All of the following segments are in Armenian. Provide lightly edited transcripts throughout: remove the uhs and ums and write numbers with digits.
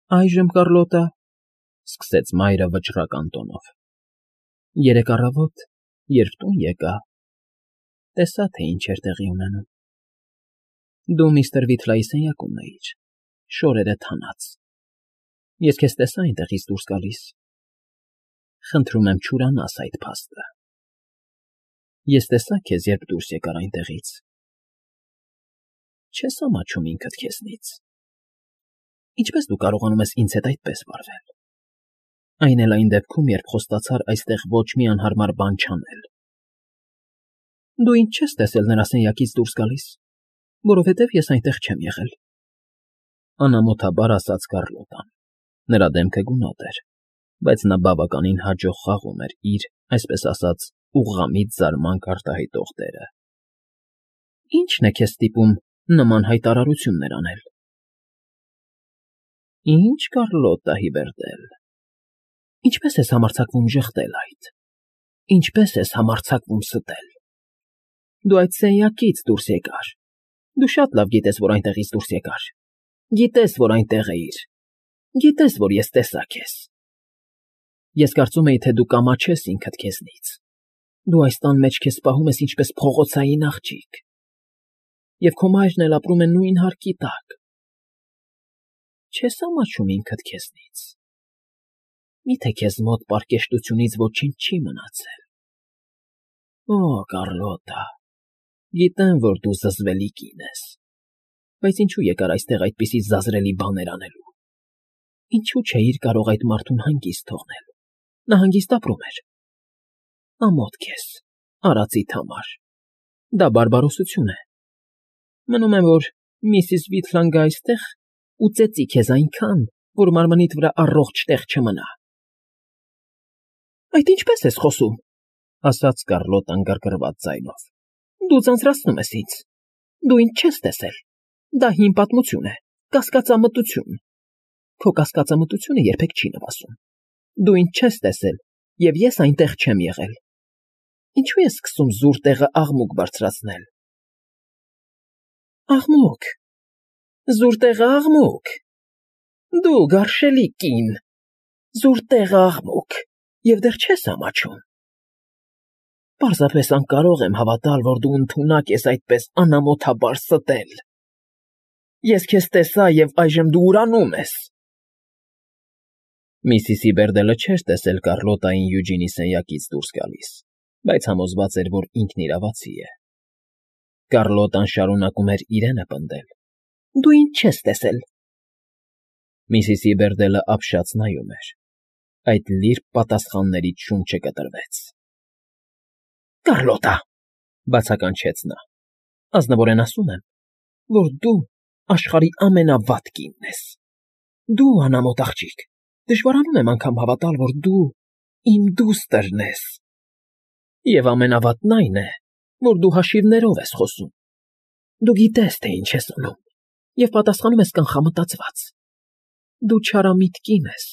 Այժմ, Կառլոտա, սկսեց մայրը վճռական տոնով, երեկ առավոտ, երբ տուն եկա, տեսա, թե ինչ էր տեղի ունենում. դու միստր Վիթլայի սենյակումն էիր, շորերը թանած, ես քեզ տեսա այնտեղից դուրս գալիս, խնդրում եմ չուրանաս այդ փաստը, ես տեսա քեզ, երբ դուրս եկար այնտեղից, չես ամաչում ինքդ քեզնից, ինչպես դու կարողանում ես ինձ հետ այդպես վարվել, այն էլ այն դեպքում, երբ խոստացար այստեղ ոչ մի անհարմար բան չանել, դու ինձ չես տեսել նրա սենյակից դուրս գալիս, որովհետև ես այնտեղ չեմ եղել, անամոթաբար ասաց Կառլոտան, նրա դեմքը գունատ էր, բայց նա բավականին հաջող խաղում էր իր, այսպես ասած, ուղղամիտ զարմանք արտահայտող դերը։ Ի՞նչն է քեզ ստիպում նման հայտարարություններ անել։ Ինչ, Կառլոտա Հիբերդել, ինչպես ես համարձակվում ժխտել այդ, ինչպես ես համարձակվում ստել։ Դու այդ սենյակից դուրս եկար, դու շատ լավ գիտես, որ այնտեղից դուրս եկար, գիտես, որ այնտեղ էիր, գիտես, որ ես տեսա քեզ։ Ես կարծում էի, թե դու կամաչես ինքդ քեզնից, դու այս տան մեջ քեզ պահում ես ինչպես փողոցային աղջիկ, և քո մայրն էլ ապրում է նույն հարկի տակ։ Չես ամաչում ինքդ քեզնից։ Միթե քեզ մոտ պարկեշտությունից ոչինչ չի մնացել։ Օ, Կառլոտա, գիտեմ, որ դու զզվելի կին ես, բայց ինչու եկար այստեղ այդպիսի զազրելի բաներ անելու։ Ինչու չէիր կարող այդ մարդուն հանգիստ թողնել։ Նա հանգիստ ապրում էր։ Ամոթ քեզ, արածիդ համար։ Դա բարբարոսություն է։ Մնում է, որ միսիս Վիթլան գա այստեղ ու ծեծի քեզ այնքան, որ մարմնիդ վրա առողջ տեղ չմնա։ Այդ ինչպես ես խոսում, ասաց Կառլոտան գրգռված ձայնով։ Դու ձանձրացնում ես ինձ։ Դու ինձ չես տեսել։ Դա հին պատմություն է, կասկածամտություն։ Քո կասկածամտությունը երբեք չի նվազում։ Դու ինձ չես տեսել, և ես այնտեղ չեմ եղել։ Ինչու ես սկսում զուր տեղը աղմուկ բարձրացնել։ Աղմուկ, զուր տեղը աղմուկ։ Դու գարշելի կին, զուր տեղը աղմուկ, և դեռ չես ամաչում։ Պարզապես անկարող եմ հավատալ, որ դու ընդունակ ես այդպես անամոթաբար ստել։ Ես քեզ տեսա, և այժմ դու ուրանում ես։ Միսիս Հիբերդելը չէր տեսել Կառլոտային Յուջինի սենյակից դուրս գալիս, բայց համոզված էր, որ ինքն իրավացի է։ Կառլոտան շարունակում էր իրենը պնդել։ Դու ինձ չես տեսել։ Միսիս Հիբերդելը ապշած նայում էր։ Այդ լիրբ պատասխաններից շունչը կտրվեց։ Կառլոտա, բացականչեց նա, ազնվորեն ասում եմ, որ դու աշխարհի ամենավատ կինն ես։ Դու անամոթ աղջիկ, դժվարանում եմ անգամ հավատալ, որ դու իմ դուստրն ես։ Եվ ամենավատն այն է, որ դու հաշիվներով ես խոսում։ Դու գիտես, թե ինչ ես անում, և պատասխանում ես կանխամտածված։ Դու չարամիտ կին ես։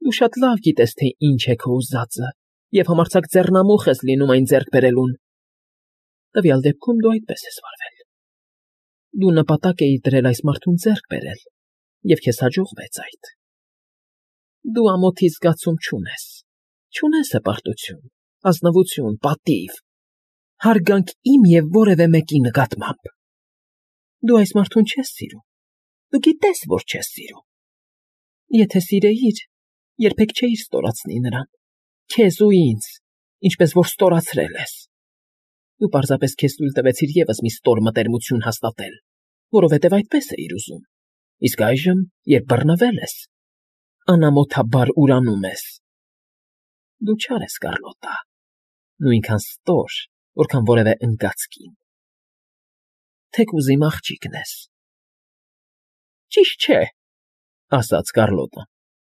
Դու շատ լավ գիտես, թե ինչ է քո ուզածը, և համարձակ ձեռնամուխ ես լինում այն ձեռք բերելուն։ Տվյալ դեպքում դու այդպես ես վարվել։ Դու նպատակ էիր դրել այս մարդուն ձեռք բերել, և քեզ հաջողվեց այդ։ Դու ամոթի զգացում չունես, չունես հպարտություն, ազնվություն, պատիվ, հարգանք իմ և որևէ մեկի նկատմամբ։ Դու այս մարդուն չես սիրում, դու գիտես, որ չես սիրում։ Եթե սիրեիր, երբեք չէիր ստորացնի նրան, քեզ ու ինձ, ինչպես որ ստորացրել ես։ Դու պարզապես քեզ թույլ տվեցիր ևս մի ստոր մտերմություն հաստատել, որովհետև այդպես էիր ուզում, իսկ այժմ, երբ բռնվել ես, անամոթաբար ուրանում ես։ Դու չար ես, Կառլոտա, նույնքան ստոր, որքան որևէ ընկած կին։ Թեկուզ իմ աղջիկն ես։ Ճիշտ չէ, ասաց Կառլոտան։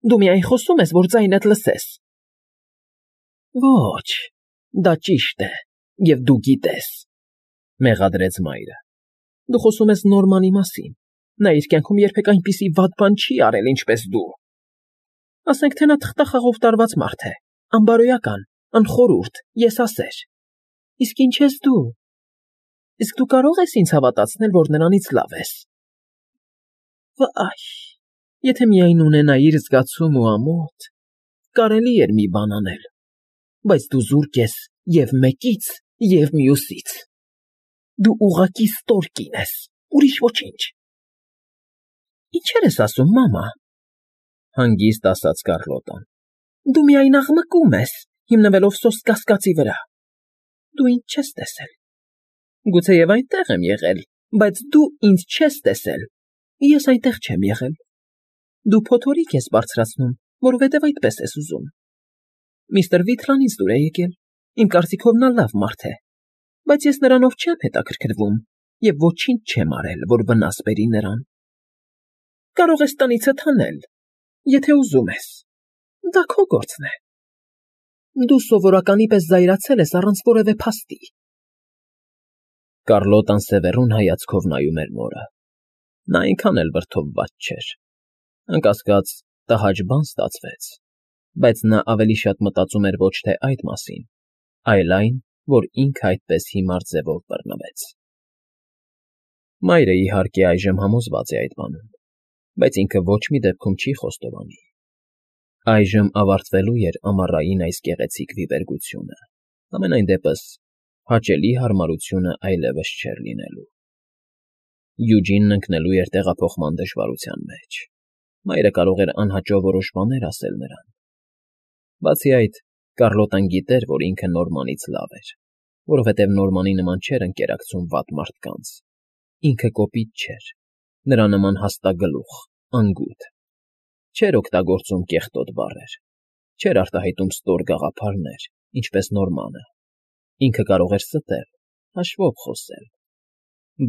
Դու միայն խոսում ես, որ ձայնդ լսես։ Ոչ, դա ճիշտ է, և դու գիտես, մեղադրեց մայրը։ Դու խոսում ես Նորմանի մասին, նա իր կյանքում երբեք այնպիսի վատ բան չի արել, ինչպես դու։ Ասենք թե նա թղթախաղով տարված մարդ է, անբարոյական, անխորհուրդ, եսասեր։ Իսկ ինչ ես դու։ Իսկ դու կարող ես ինձ հավատացնել, որ նրանից լավ ես։ Վայ, Եթե միայն ունենայիր զգացում ու ամոթ, կարելի էր մի բան անել, բայց դու զուրկ ես և մեկից, և մյուսից։ Դու ուղղակի ստորկին ես, ուրիշ ոչինչ։ Ինչեր ես ասում, մամա, հանգիստ ասաց Կառլոտան։ Դու միայն աղմկում ես, հիմնվելով սոսկ կասկածի վրա։ Դու ինձ չես տեսել։ Գուցեև այնտեղ եմ եղել, բայց դու ինձ չես տեսել։ Ես այնտեղ չեմ եղել։ Դու փոթորիկ ես բարձրացնում, որովհետև այդպես ես ուզում։ Միստր Վիթլանից դուր է եկել, իմ կարծիքով նա լավ մարդ է, բայց ես նրանով չեմ հետաքրքրվում և ոչինչ չեմ արել, որ վնաս բերի նրան։ Կարող ես տնիցդ հանել, եթե ուզում ես, դա քո գործն է։ Դու սովորականի պես զայրացել ես առանց որևէ փաստի։ Կառլոտան սևեռուն հայացքով նայում էր մորը։ Նա այնքան էլ վրդովված չէր։ Անկասկած, տհաճ բան ստացվեց, բայց նա ավելի շատ մտածում էր ոչ թե այդ մասին, այլ այն, որ ինքը այդպես հիմար ձևով բռնվեց։ Մայրը, իհարկե, այժմ համոզված է այդ բանում, բայց ինքը ոչ մի դեպքում չի խոստովանի։ Այժմ ավարտվելու էր ամառային այս գեղեցիկ վիվերգությունը, համենայն դեպս հաճելի հարմարությունը այլևս չէր լինելու։ Յուջինն ընկնելու էր տեղափոխման դժվարության մեջ։ Մայրը կարող էր անհաճո որոշ բաներ ասել նրան։ Բացի այդ, Կառլոտան գիտեր, որ ինքը Նորմանից լավ էր, որովհետև Նորմանի նման չէր ընկերակցում վատ մարդկանց։ Ինքը կոպիտ չէր, նրա նման հաստագլուխ, անգութ։ Չէր օգտագործում կեղտոտ բառեր, չէր արտահայտում ստոր գաղափարներ, ինչպես Նորմանը։ Ինքը կարող էր ստել, հաշվով խոսել,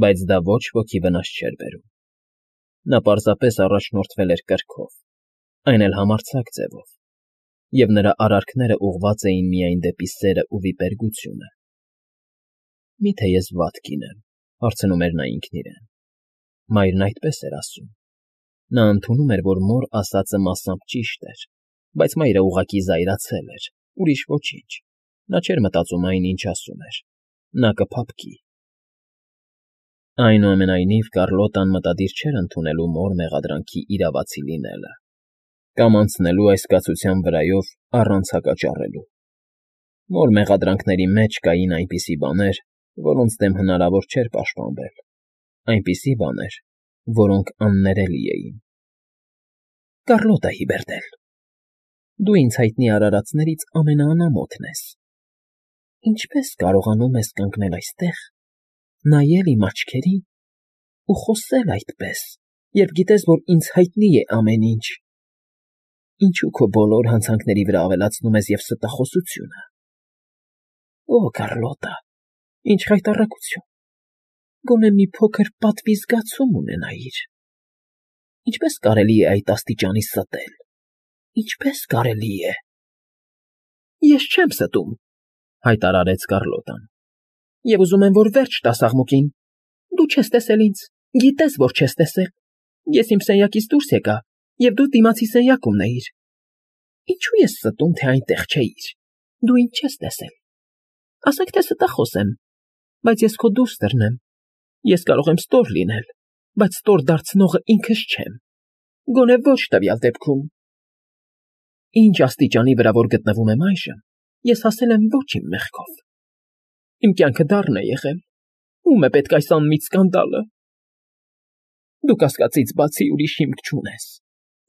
բայց դա ոչ ոքի վնաս չէր բերում։ Նա պարզապես առաջնորդվել էր կրքով, այն էլ համարձակ ձևով, և նրա արարքները ուղղված էին միայն դեպի սերն ու վիպերգությունը։ Մի՞թե ես վատ կին եմ, հարցնում էր նա ինքն իրեն։ Մայրն այդպես էր ասում։ Նա ընդունում էր, որ մոր ասածը մասամբ ճիշտ էր, բայց մայրը ուղղակի զայրացել էր, ուրիշ ոչինչ։ Նա չէր մտածում այն, ինչ ասում էր։ Նա կփափկի։ Այնուամենայնիվ, Կառլոտան մտադիր չէր ընդունելու մոր մեղադրանքի իրավացի լինելը, կամ անցնելու այս կացության վրայով առանց հակաճառելու։ Մոր մեղադրանքների մեջ կային այնպիսի բաներ, որոնց դեմ հնարավոր չէր պաշտպանվել, այնպիսի բաներ, որոնք աններելի էին։ Կառլոտա Հիբերդել, դու ինձ հայտնի արարածներից ամենաանամոթն ես։ Ինչպես կարողանում ես կանգնել այստեղ, նայել իմ աչքերին ու խոսել այդպես, երբ գիտես, որ ինձ հայտնի է ամեն ինչ։ Ինչու քո բոլոր հանցանքների վրա ավելացնում ես և ստախոսությունը։ Օ, Կառլոտա, ինչ խայտառակություն։ Գոնե մի փոքր պատվի զգացում ունենայիր։ Ինչպես կարելի է այդ աստիճանի ստել։ Ինչպես կարելի է։ Ես չեմ ստում, հայտարարեց Կառլոտան։ Եվ ուզում եմ, որ վերջ տաս աղմուկին։ Դու չես տեսել ինձ, գիտես, որ չես տեսել։ Ես իմ սենյակից դուրս եկա, և դու դիմացի սենյակումն էիր։ Ինչու ես ստում, թե այնտեղ չէիր։ Դու ինձ չես տեսել։ Ասենք թե ստախոս եմ, բայց ես քո դուստրն եմ։ Ես կարող եմ ստոր լինել, բայց ստոր դարձնողը ինքս չեմ։ Գոնե ոչ տվյալ դեպքում։ Ինչ աստիճանի վրա որ գտնվում եմ այժմ, ես հասել եմ ոչ իմ մեղքով։ Իմ կյանքը դառն է եղել։ Ո՞ւմ է պետք այս անմիտ սկանդալը։ Դու կասկածից բացի ուրիշ հիմք չունես,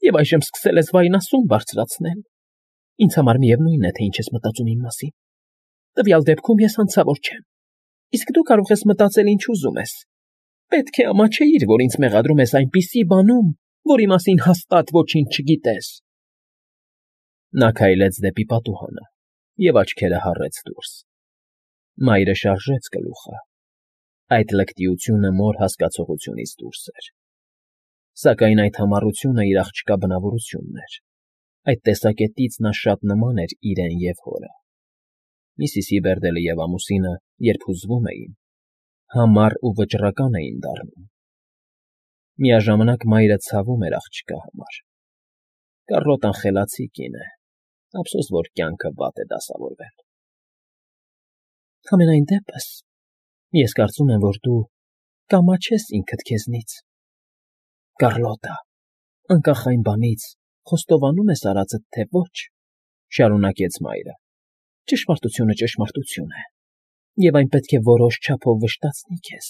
և այժմ սկսել ես վայնասուն բարձրացնել։ Ինձ համար միևնույն է, թե ինչ ես մտածում իմ մասին։ Տվյալ դեպքում ես հանցավոր չեմ, իսկ դու կարող ես մտածել ինչ ուզում ես։ Պետք է ամաչեիր, որ ինձ մեղադրում ես այնպիսի բանում, որի մասին հաստատ ոչինչ չգիտես։ Նա քայլեց դեպի պատուհանը և աչքերը հառեց դուրս։ Մայրը շարժեց գլուխը։ Այդ լկտիությունը մոր հասկացողությունից դուրս էր։ Սակայն այդ համառությունը իր աղջկա բնավորությունն էր։ Այդ տեսակետից նա շատ նման էր իրեն և հորը։ Միսիս Հիբերդելը և ամուսինը, երբ հուզվում էին, համառ ու վճռական էին դառնում։ Միաժամանակ մայրը ցավում էր աղջկա համար։ Կառլոտան խելացի կին է, ափսոս, որ կյանքը վատ է դասավորվել։ Համենայն դեպս, ես կարծում եմ, որ դու կամաչես ինքդ քեզնից։ Կառլոտա, Անկախ այն բանից, խոստովանում ես արածդ, թե ոչ, շարունակեց Մայրը, ճշմարտությունը ճշմարտություն է, և այն պետք է որոշ չափով վշտացնի քեզ։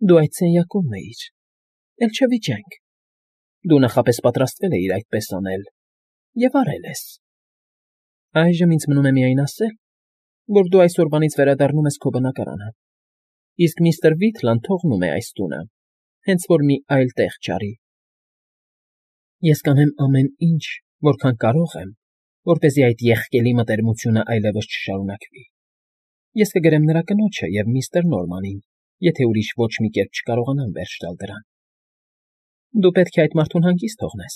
Դու այդ սենյակումն էիր, էլ չվիճենք։ Դու նախապես պատրաստվել էիր այդպես անել և արել ես։ Այժմ ինձ մնում է միայն ասել, որ դու այսօրվանից վերադառնում ես քո բնակարանը, իսկ միստր Վիթլան թողնում է այս տունը, հենց որ մի այլ տեղ չարի։ Ես կանեմ ամեն ինչ, որքան կարող եմ, որպեսզի այդ եղկելի մտերմությունը այլևս չշարունակվի։ Ես կգրեմ նրա կնոջը և միստր Նորմանին, եթե ուրիշ ոչ մի կերպ չկարողանամ վերջ տալ դրան։ Դու պետք է այդ մարդուն հանգիստ թողնես։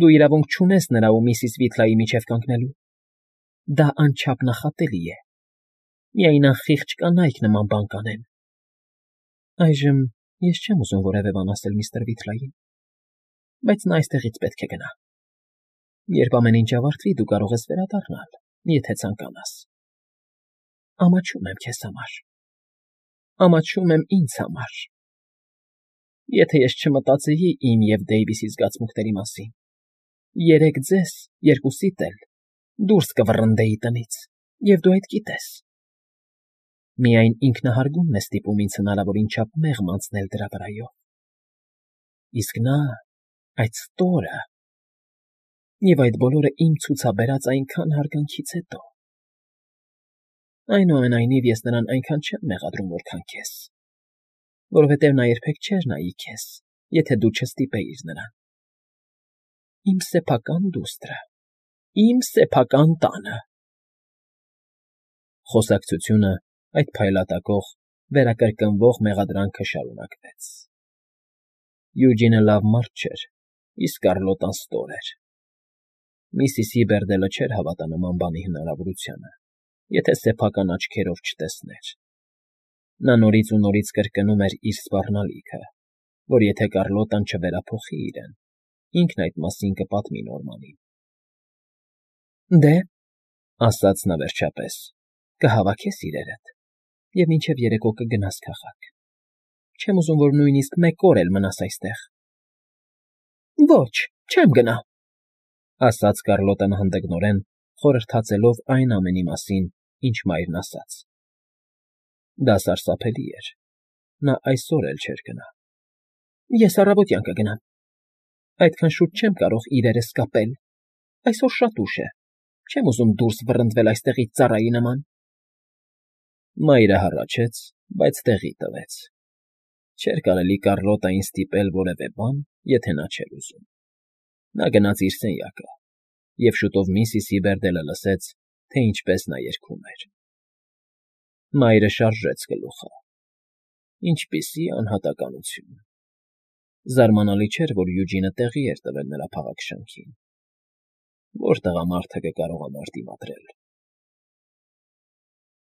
Դու իրավունք չունես նրա ու միսիս Վիթլայի միջև կանգնելու։ Դա անչափ նախատելի է։ Միայն անխիղճ կանայք նման բան կանեն։ Այժմ ես չեմ ուզում որևէ բան ասել միստր Վիթլային, բայց նա այստեղից պետք է գնա։ Երբ ամեն ինչ ավարտվի, դու կարող ես վերադառնալ, եթե ցանկանաս։ Ամաչում եմ քեզ համար։ Ամաչում եմ ինձ համար։ Եթե ես չմտածեի իմ և Դեյվիսի զգացմունքների մասին, երեկ ձեզ, երկուսիդ էլ, դուրս կվռնդեի տնից, և դու այդ գիտես։ Միայն ինքնահարգումն է ստիպում ինձ հնարավորին չափ մեղմ անցնել դրա վրայով։ Իսկ նա, այդ ստորը, և այդ բոլորը իմ ցուցաբերած այնքան հարգանքից հետո… Այնուամենայնիվ, ես նրան այնքան չեմ մեղադրում, որքան քեզ, որովհետև նա երբեք չէր նայի քեզ, եթե դու չստիպեիր նրան։ Իմ սեփական դուստրը, իմ սեփական տանը… Խոսակցությունը, այդ փայլատակող, վերակրկնվող մեղադրանքը շարունակվեց։ Յուջինը լավ մարդ չէր, իսկ Կառլոտան ստոր էր։ Միսիսի Բերդելը չէր հավատա նման բանի հնարավորությանը, եթե սեփական աչքերով չտեսներ։ Նա նորից ու նորից կրկնում էր իր սպառնալիքը, որ եթե Կառլոտան չվերափոխի իրեն, ինքն այդ մասին կպատմի Նորմանին։ Դե, ասաց նա վերջապես, կհավաքես իրերդ և մինչև երեկո կգնաս քաղաք։ Չեմ ուզում, որ նույնիսկ մեկ օր էլ մնաս այստեղ։ Ոչ, չեմ գնա, ասաց Կառլոտան հանդգնորեն, խորհրդածելով այն ամենի մասին, ինչ Մայրն ասաց։ Դա սարսափելի էր։ Նա այսօր էլ չէր գնա։ Ես առավոտյան կգնամ։ Այդքան շուտ չեմ կարող իրերս կապել։ Այսօր շատ ուշ է։ Չեմ ուզում դուրս վռնդվել այստեղից ծառայի նման։ Մայրը հառաչեց, բայց տեղի տվեց։ Չէր կարելի Կառլոտային ստիպել որևէ բան, եթե նա չէր ուզում։ Նա գնաց իր սենյակը, և շուտով միսիսի Բերդելը լսեց, թե ինչպես նա երգում էր։ Մայրը շարժեց գլուխը։ Ինչպիսի անհատականություն… Զարմանալի չէր, որ Յուջինը տեղի էր տվել նրա փաղաքշանքին։ Որ տղամարդը կկարողանար դիմադրել։